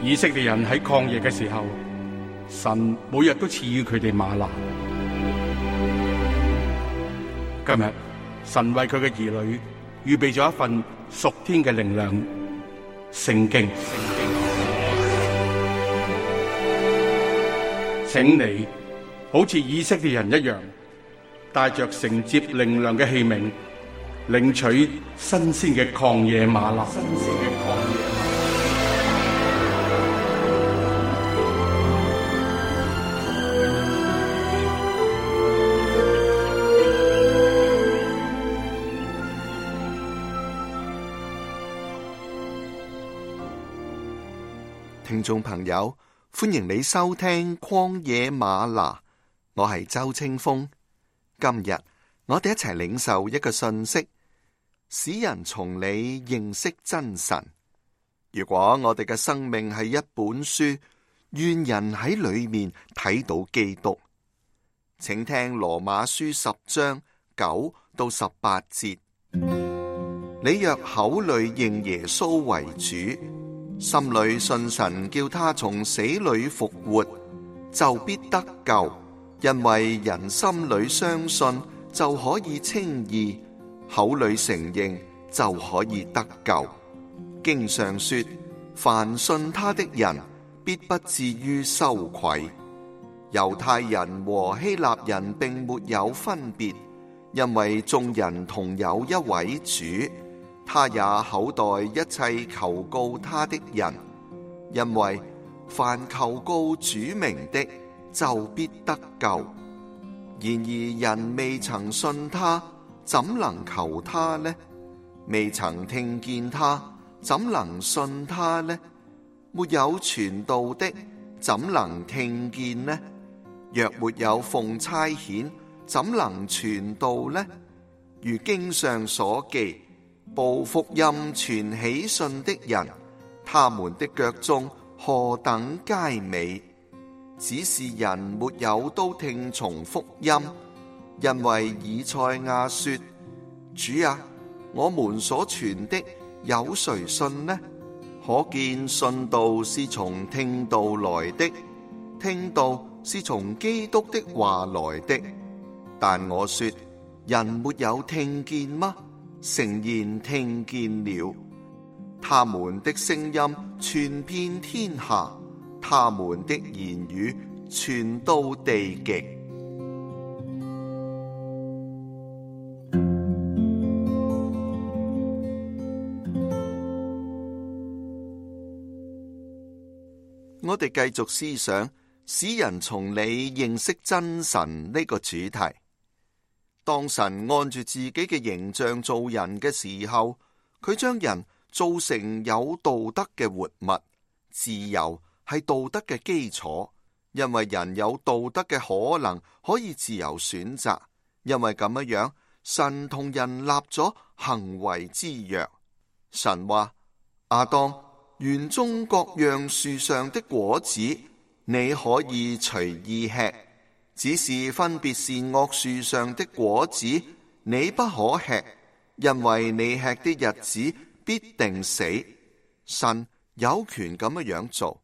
以色列人喺曠野嘅時候，神每日都賜予佢哋嗎哪。今日神為佢嘅兒女預備咗一份屬天嘅靈糧——聖經。請你好似以色列人一樣，帶着承接靈糧嘅器皿，領取新鮮嘅曠野嗎哪。聽眾朋友，歡迎你收聽曠野嗎哪，我係周清風。今日我哋一齊領受一個信息，使人從你認識真神。如果我哋嘅生命係一本書，願人喺裏面睇到基督。請聽羅馬書10章9到18節。你若口裏認耶穌為主，心裏信神叫他從死裏復活，就必得救。因為人心裏相信就可以稱義，口裏承認就可以得救。經上說，凡信他的人必不至於羞愧。猶太人和希臘人並沒有分別，因為眾人同有一位主，他也厚待一切求告他的人。因為凡求告主名的，就必得救。然而人未曾信他，怎能求他呢？未曾聽見他，怎能信他呢？沒有傳道的，怎能聽見呢？若沒有奉差遣，怎能傳道呢？如經上所記，報福音傳喜信的人，他們的腳蹤何等佳美！只是人沒有都聽從福音，因為以賽亞說：主啊，我們所傳的有誰信呢？可見信道是從聽道來的，聽道是從基督的話來的。但我說，人沒有聽見嗎？誠然聽見了。他們的聲音傳遍天下，他們的言語傳到地極。我哋繼續思想使人從你認識真神呢個主題。當神按住自己嘅形象造人嘅時候，佢將人造成有道德嘅活物。自由係道德嘅基礎，因為人有道德嘅可能，可以自由選擇。因為咁樣，神同人立咗行為之約。神話：亞當，園中各樣樹上的果子，你可以隨意吃，只是分別善惡樹上的果子，你不可吃，因為你吃的日子必定死。神有權咁樣做。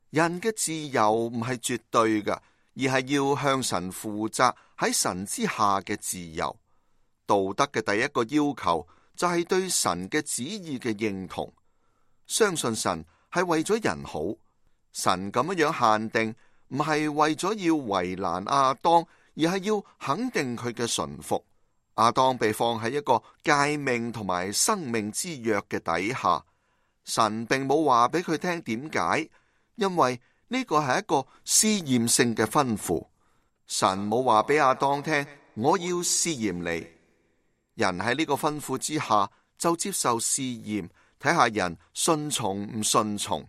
人嘅自由唔係絕對嘅，而係要向神負責，喺神之下嘅自由。道德嘅第一個要求就係對神嘅旨意嘅認同，相信神係為咗人好。神咁樣限定，唔係為咗要為難亞當，而係要肯定佢嘅順服。亞當被放喺一個誡命同埋生命之約嘅底下，神並冇話俾佢聽點解，因為呢個係一個試驗性嘅吩咐。神冇話俾亞當聽，我要試驗你。人喺呢個吩咐之下就接受試驗，睇下人順從唔順從。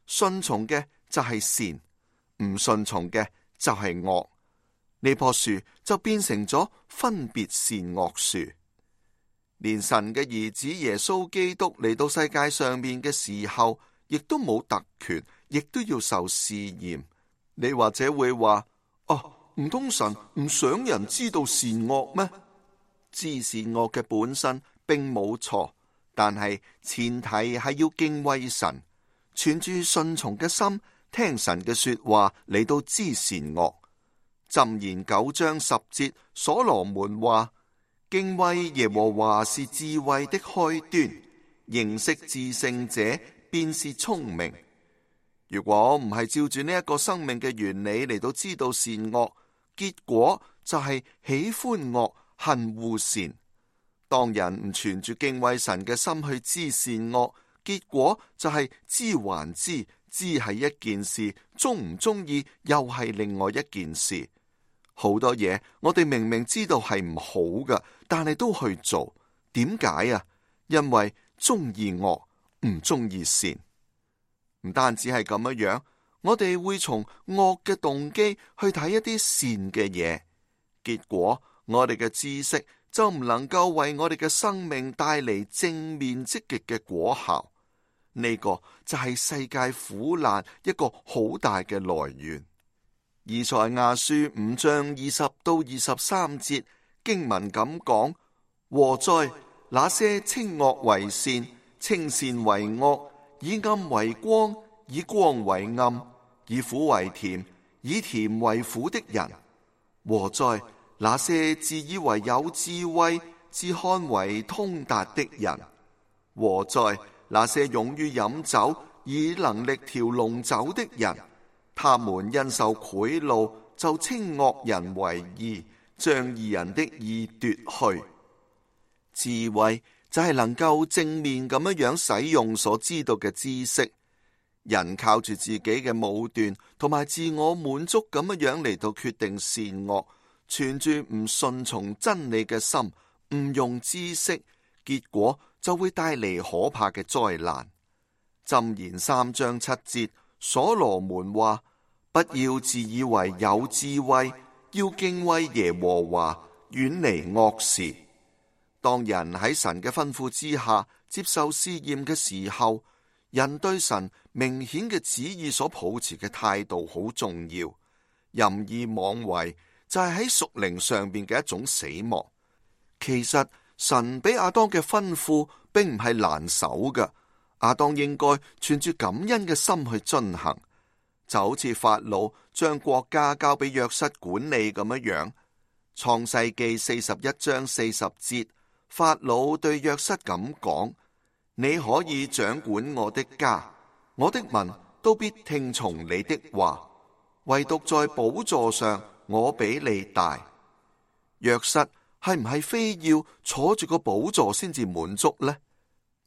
順從嘅就係善，唔順從嘅就係惡。呢棵樹就變成咗分別善惡樹。連神嘅兒子耶穌基督嚟到世界上面嘅時候，亦都冇特權，亦都要受試驗。你或者會話：唔通神唔想人知道善惡咩？知善惡嘅本身並冇錯，但係前提係要敬畏神，存住順從嘅心，聽神嘅說話嚟到知善惡。箴言9章10節，所羅門話：敬畏耶和華是智慧的開端，認識至聖者便是聰明。如果唔係照住呢一個生命嘅原理嚟到知道善惡，結果就係喜歡惡，恨惡善。當人唔存住敬畏神嘅心去知善惡，結果就係知還知，知係一件事，中唔中意又係另外一件事。好多嘢我哋明明知道係唔好㗎，但係都去做。點解啊？因為中意惡，唔中意善。唔單止係咁樣，我哋會從惡嘅動機去睇一啲善嘅嘢，結果我哋嘅知識就唔能夠為我哋嘅生命帶嚟正面積極嘅果效。呢個就係世界苦難一個好大嘅來源。以賽亞書5章20到23節經文咁講：禍哉，那些稱惡為善，稱善為惡，以暗為光，以光為暗，以苦為甜，以甜為苦的人。禍哉，那些自以為有智慧，自看為通達的人。禍哉，那些勇於飲酒，以能力調濃酒的人。他們因受賄賂，就稱惡人為義，將義人的義奪去。智慧就係能夠正面咁樣使用所知道嘅知識。人靠住自己嘅武斷同埋自我滿足咁樣嚟到決定善惡，存住唔順從真理嘅心，唔用知識，結果就會帶嚟可怕嘅災難。箴言3章7節，所羅門話：不要自以為有智慧，要敬畏耶和華，遠離惡事。當人喺神嘅吩咐之下接受試驗嘅時候，人對神明顯嘅旨意所抱持嘅態度好重要。任意妄為就係喺屬靈上邊嘅一種死亡。其實神俾亞當嘅吩咐並唔係難守嘅，亞當應該存住感恩嘅心去遵行，就好似法老將國家交俾約瑟管理咁樣。創世記41章40節，法老對約瑟咁講：你可以掌管我的家，我的民都必聽從你的話，唯獨在寶座上我比你大。約瑟係唔係非要坐住個寶座先至滿足呢？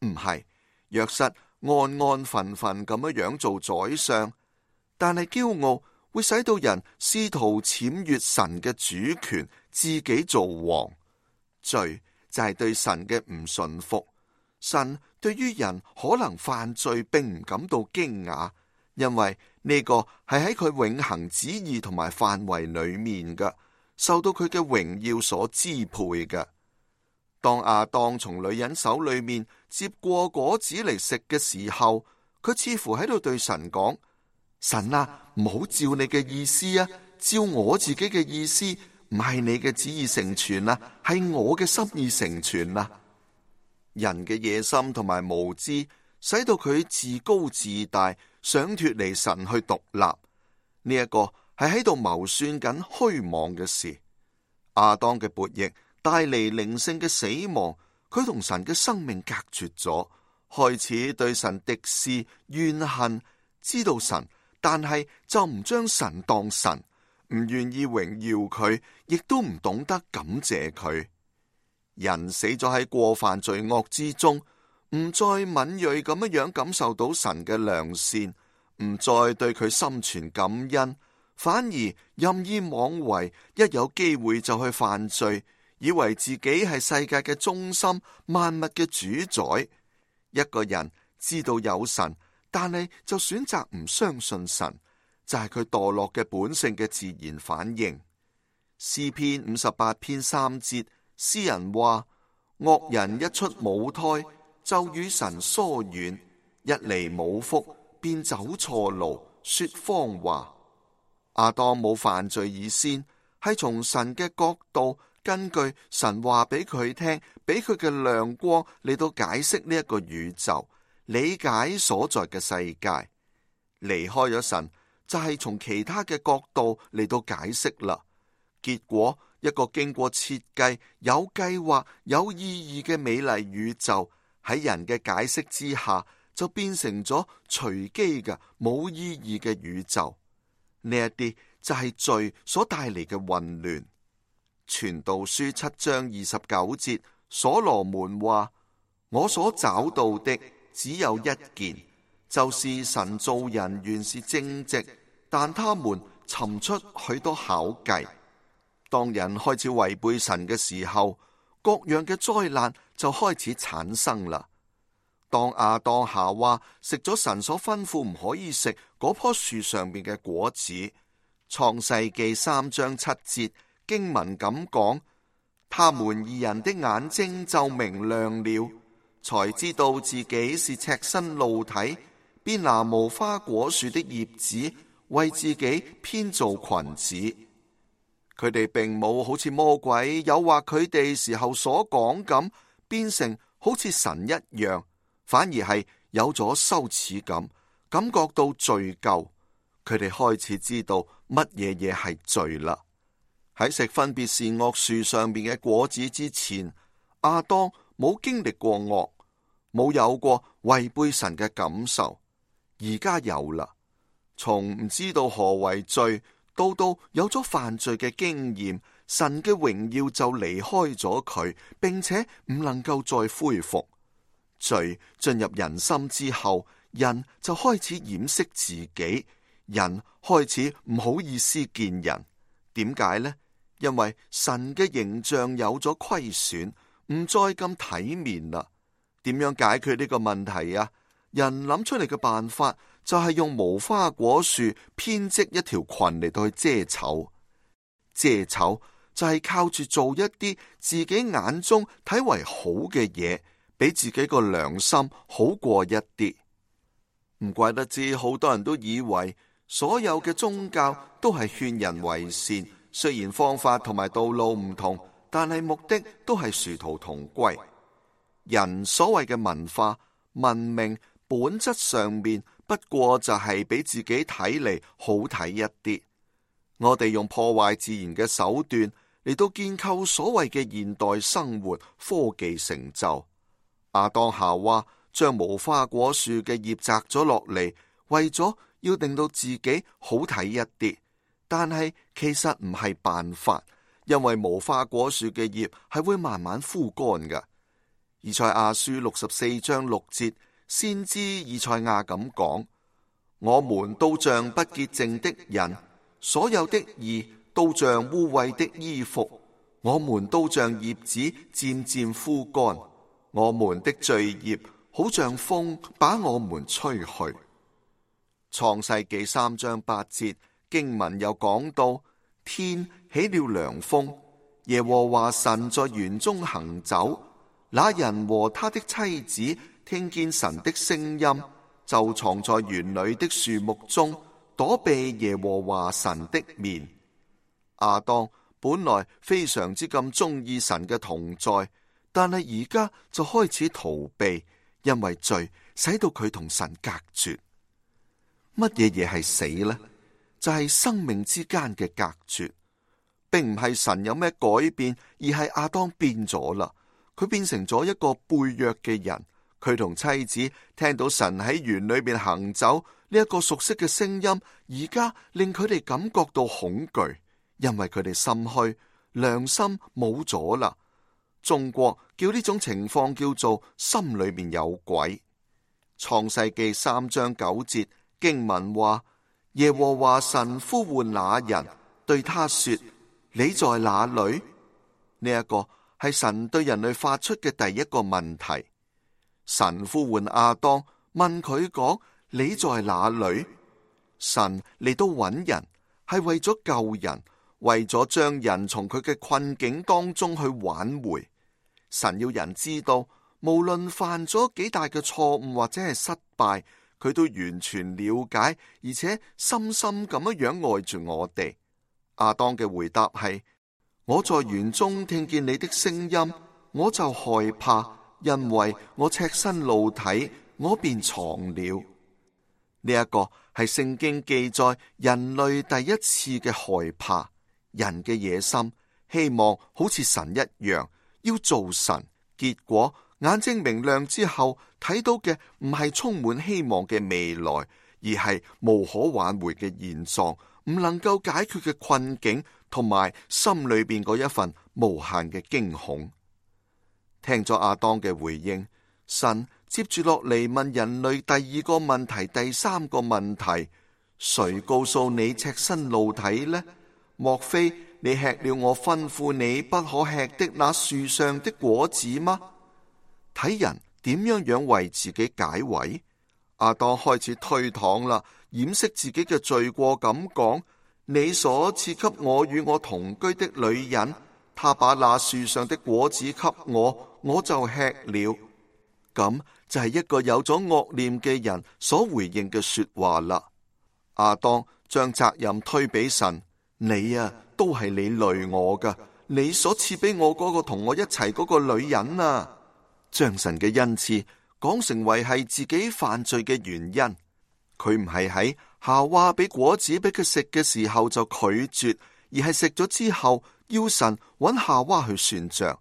唔係，約瑟安安分分咁樣做宰相，但係驕傲會使到人試圖僭越神嘅主權，自己做王。罪就係對神嘅唔順服。神對於人可能犯罪並唔感到驚訝，因為呢個係喺佢永恆旨意同埋範圍裏面嘅，受到佢嘅榮耀所支配嘅。當亞當從女人手裏面接過果子嚟食嘅時候，佢似乎喺度對神講：神啊，唔好照你嘅意思啊，照我自己嘅意思，唔係你嘅旨意成全啊，係我嘅心意成全啊。人嘅野心同埋無知，使到佢自高自大，想脫離神去獨立。呢一個係喺度謀算緊虛妄嘅事。亞當嘅悖逆帶嚟靈性嘅死亡，佢同神嘅生命隔絕咗，開始對神敵視怨恨，知道神，但係就唔將神當神，唔願意榮耀佢，亦都唔懂得感謝佢。人死咗喺過犯罪惡之中，唔再敏銳咁樣感受到神嘅良善，唔再對佢心存感恩，反而任意妄為，一有機會就去犯罪，以為自己係世界嘅中心，萬物嘅主宰。一個人知道有神，但係就選擇唔相信神，就係佢墮落嘅本性嘅自然反應。詩篇58篇3節，詩人話：惡人一出母胎，就與神疏遠，一離母腹，便走錯路，說謊話。亞當冇犯罪以先，係從神嘅角度，根據神話俾佢聽，俾佢嘅亮光嚟到解釋呢一個宇宙，理解所在嘅世界。離開咗神，就係從其他嘅角度嚟到解釋啦。結果，一個經過設計、有計劃、有意義嘅美麗宇宙，喺人嘅解釋之下，就變成咗隨機嘅冇意義嘅宇宙。呢一啲就係罪所帶嚟嘅混亂。傳道書7章29節，所羅門話：我所找到的只有一件，就是神造人原是正直，但他們尋出許多巧計。當人開始違背神嘅時候，各樣嘅災難就開始產生啦。當亞當夏娃食咗神所吩咐唔可以食嗰棵樹上面嘅果子，創世記3章7節經文咁講：他們二人的眼睛就明亮了，才知道自己是赤身露體，便拿無花果樹的葉子為自己編造裙子。佢哋並冇好似魔鬼誘惑佢哋時候所講咁，變成好似神一樣，反而係有咗羞恥感，感覺到罪疚。佢哋開始知道乜嘢係罪啦。喺食分別善惡樹上邊嘅果子之前，亞當冇經歷過惡，冇有過違背神嘅感受。而家有啦，從唔知道何為罪，到有咗犯罪嘅經驗，神嘅榮耀就離開咗佢，並且唔能夠再恢復。罪進入人心之後，人就開始掩飾自己，人開始唔好意思見人。點解呢？因為神嘅形象有咗虧損，唔再咁體面啦。點樣解決呢個問題啊？人諗出嚟嘅辦法就係用無花果樹編織一條裙嚟到去遮醜。遮醜就係靠住做一啲自己眼中睇為好嘅嘢，俾自己個良心好過一啲。唔怪得知好多人都以為所有嘅宗教都係勸人為善，雖然方法同埋道路唔同，但係目的都係殊途同歸。人所謂嘅文化文明，本質上面不過就係俾自己睇嚟好睇一啲。我哋用破壞自然嘅手段嚟到建構所謂嘅現代生活科技成就。亞當夏娃將無花果樹嘅葉摘咗落嚟，為咗要令到自己好睇一啲，但係其實唔係辦法，因為無花果樹嘅葉係會慢慢枯乾嘅。以賽亞書64章6節，先知以賽亞咁講：我們都像不潔淨的人，所有的義都像污穢的衣服，我們都像葉子漸漸枯乾，我們的罪孽好像風把我們吹去。創世記3章8節經文又講到：天起了涼風，耶和華神在園中行走，那人和他的妻子聽見神的聲音，就藏在園裏的樹木中，躲避耶和華神的面。亞當本來非常之咁中意神嘅同在，但係而家就開始逃避，因為罪使到佢同神隔絕。乜嘢係死呢？就係生命之間嘅隔絕，並唔係神有咩改變，而係亞當變咗啦。佢變成咗一個背約嘅人。佢同妻子聽到神喺園裏邊行走呢一個熟悉嘅聲音，而家令佢哋感覺到恐懼，因為佢哋心虛，良心冇咗啦。中國叫呢種情況叫做心裏面有鬼。創世記3章9節經文話：耶和華神呼喚那人，對他說：你在哪裏？呢一個係神對人類發出嘅第一個問題。神呼喚亞當，問佢講：你在哪裏？神嚟到揾人，係為咗救人，為咗將人從佢嘅困境當中去挽回。神要人知道，無論犯咗幾大嘅錯誤或者係失敗，佢都完全了解，而且深深咁樣愛住我哋。亞當嘅回答係：我在園中聽見你的聲音，我就害怕，因為我赤身露體，我便藏了。呢一個係聖經記載人類第一次嘅害怕，人嘅野心，希望好似神一樣要做神，結果眼睛明亮之後睇到嘅唔係充滿希望嘅未來，而係無可挽回嘅現狀，唔能夠解決嘅困境，同埋心裏邊嗰一份無限嘅驚恐。聽咗亞當嘅回應，神接住落嚟問人類第二個問題，第三個問題：誰告訴你赤身露體呢？莫非你吃了我吩咐你不可吃的那樹上的果子嗎？睇人點樣為自己解圍。亞當開始推搪啦，掩飾自己嘅罪過，咁講：你所賜給我與我同居的女人，她把那樹上的果子給我，我就吃了。咁就係一個有咗惡念嘅人所回應嘅說話啦。亞當將責任推俾神：你啊，都係你累我噶，你所賜俾我嗰個同我一齊嗰個女人啊，將神嘅恩賜講成為係自己犯罪嘅原因。佢唔係喺夏娃俾果子俾佢食嘅時候就拒絕，而係食咗之後要神揾夏娃去算賬。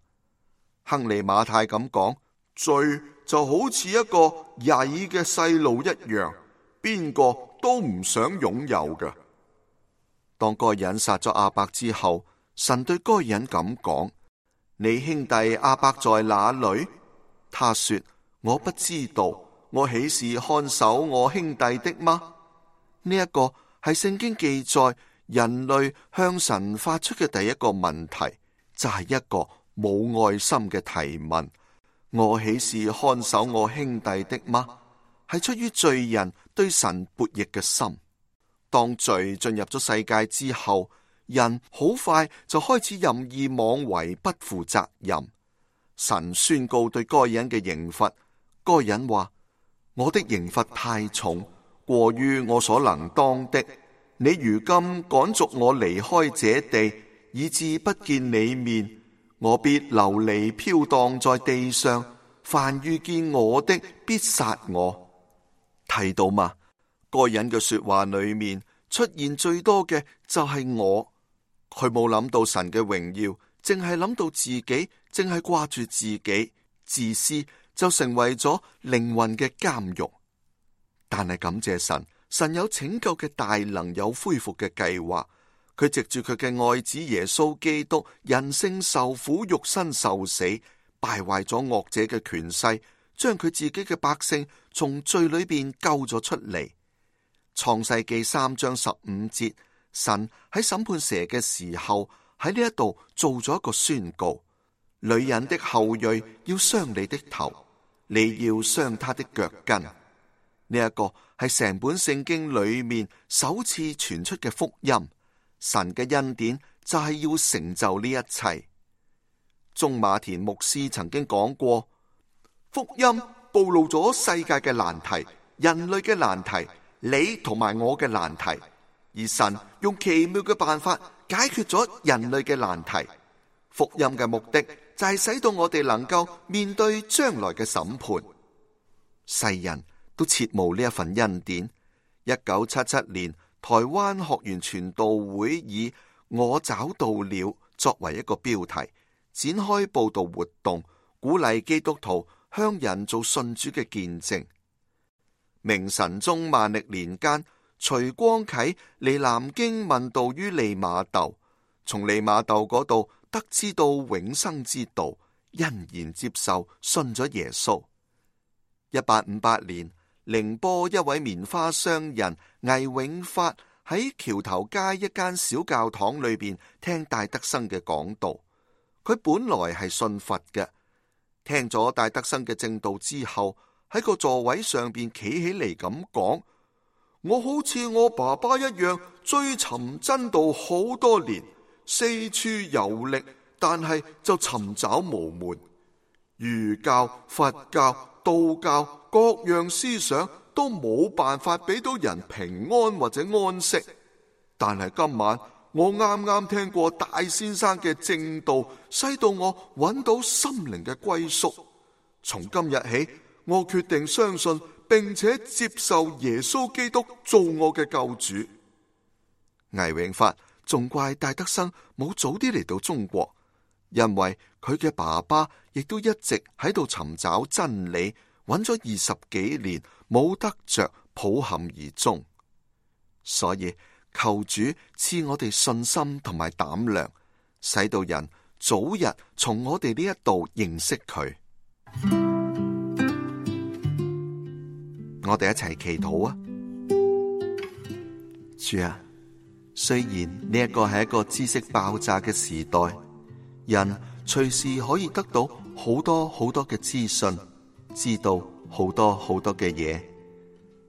亨利馬太咁講：罪就好似一個曳嘅細路一樣，邊個都唔想擁有嘅。當該隱殺咗亞伯之後，神對該隱咁講：你兄弟亞伯在哪裏？他說：我不知道，我豈是看守我兄弟的嗎？呢一個係聖經記載人類向神發出嘅第一個問題，就係一個冇愛心嘅提問。我豈是看守我兄弟的嗎？係出於罪人對神悖逆嘅心。當罪進入咗世界之後，人好快就開始任意妄為，不負責任。神宣告對該隱嘅刑罰，該隱話：我的刑罰太重，過於我所能當的。你如今趕逐我離開這地，以致不見你面，我必流離飄蕩在地上，凡遇見我的必殺我。睇到嘛？該隱嘅說話裏面出現最多嘅就係我，佢冇諗到神嘅榮耀，淨係諗到自己，淨係掛住自己，自私就成為咗靈魂嘅監獄。但係感謝神，神有拯救嘅大能，有恢復嘅計劃。佢藉住佢嘅愛子耶穌基督，人性受苦，肉身受死，敗壞咗惡者嘅權勢，將佢自己嘅百姓從罪裏邊救咗出嚟。創世記3章15節，神喺審判蛇嘅時候喺呢一度做咗一個宣告：女人的後裔要傷你的頭，你要傷她的腳跟。呢一個係成本聖經裏面首次傳出嘅福音。神嘅恩典就係要成就呢一切。鍾馬田牧師曾經講過，福音暴露咗世界嘅難題，人類嘅難題，你同埋我嘅難題，而神用奇妙嘅辦法解決咗人類嘅難題。福音嘅目的就係使到我哋能夠面對將來嘅審判。世人都切慕呢一份恩典。1977年，台灣學園傳道會以我找到了作為一個標題，展開佈道活動，鼓勵基督徒向人做信主嘅見證。明神宗萬曆年間，徐光啟嚟南京問道於利瑪竇，從利瑪竇嗰度得知到永生之道，欣然接受信咗耶穌。1858年，寧波一位棉花商人魏永發喺橋頭街一間小教堂裏邊聽戴德生嘅講道。佢本來係信佛嘅，聽咗戴德生嘅證道之後，喺個座位上邊企起嚟咁講：我好似我爸爸一樣追尋真道好多年，四處遊歷，但係就尋找無門。儒教、佛教、道教各樣思想都冇辦法俾到人平安或者安息。但係今晚我啱啱聽過大先生嘅證道，使到我揾到心靈嘅歸宿。從今日起，我決定相信並且接受耶穌基督做我嘅救主。魏永發仲怪戴德生冇早啲嚟到中國，因為佢嘅爸爸亦都一直喺度尋找真理，揾咗20幾年冇得着，抱憾而終。所以求主賜我哋信心同埋膽量，使到人早日從我哋呢一度認識佢。我哋一齊祈禱啊！主啊，雖然呢一個係一個知識爆炸嘅時代，人隨時可以得到好多好多嘅資訊，知道好多好多嘅嘢，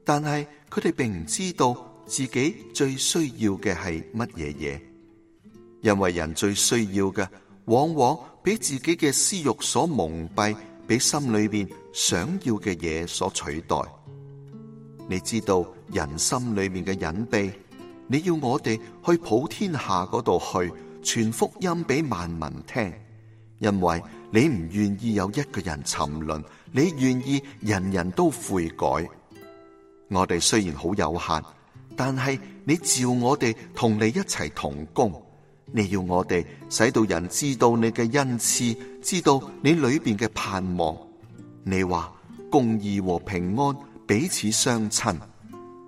但係佢哋並唔知道自己最需要嘅係乜嘢嘢，因為人最需要嘅往往俾自己嘅私欲所蒙蔽，俾心裏邊想要嘅嘢所取代。你知道人心裏面嘅隱秘，你要我哋去普天下嗰度去傳福音俾萬民聽，因為你唔願意有一個人沉淪，你願意人人都悔改。我哋雖然好有限，但係你召我哋同你一齊同工，你要我哋使到人知道你嘅恩賜，知道你裏邊嘅盼望。你話公義和平安彼此相親，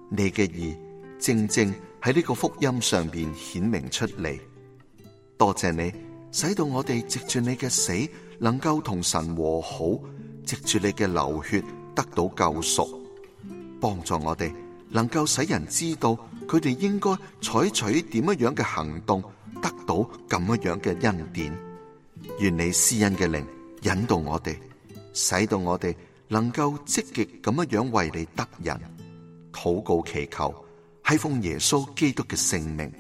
你嘅義正正喺呢個福音上邊顯明出嚟。多謝你，使到我哋藉住你嘅死能夠同神和好，藉住你嘅流血得到救贖，幫助我哋能夠使人知道佢哋應該採取點樣嘅行動，得到咁樣嘅恩典。願你施恩嘅靈引導我哋，使到我哋能夠積極咁樣為你得人。禱告祈求係奉耶穌基督嘅聖名，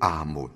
阿門。